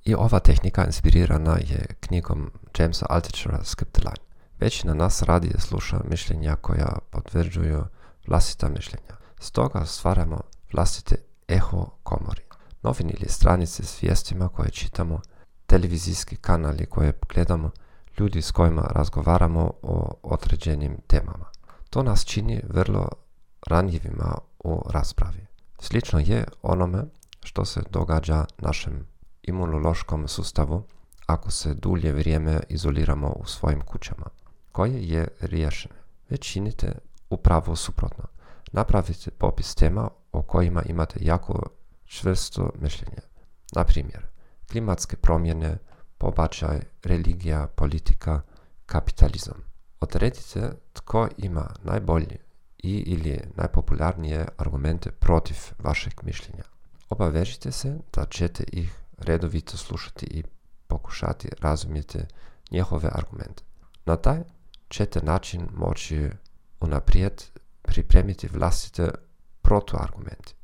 I ova tehnika inspirirana je knjigom Jamesa Altuchera Skip the Line. Većina nas radije sluša mišljenja koja potvrđuju vlastita mišljenja. Stoga stvaramo vlastite eho komori. Novine ili stranice s vijestima koje čitamo, televizijski kanali koje gledamo, ljudi s kojima razgovaramo o određenim temama. To nas čini vrlo ranjivima u raspravi. Slično je onome što se događa našem imunološkom sustavu ako se dulje vrijeme izoliramo u svojim kućama, koje je riješeno. Već činite upravo suprotno. Napravite popis tema o kojima imate jako čvrsto mišljenje. Na primjer, klimatske promjene, pobačaj, religija, politika, kapitalizam. Odredite tko ima najbolji ili najpopularnije argumente protiv vašeg mišljenja. Obavežite se da ćete ih redovito slušati i pokušati razumjeti njihove argumente. Na taj ćete način moći unaprijed pripremiti vlastite protuargumente.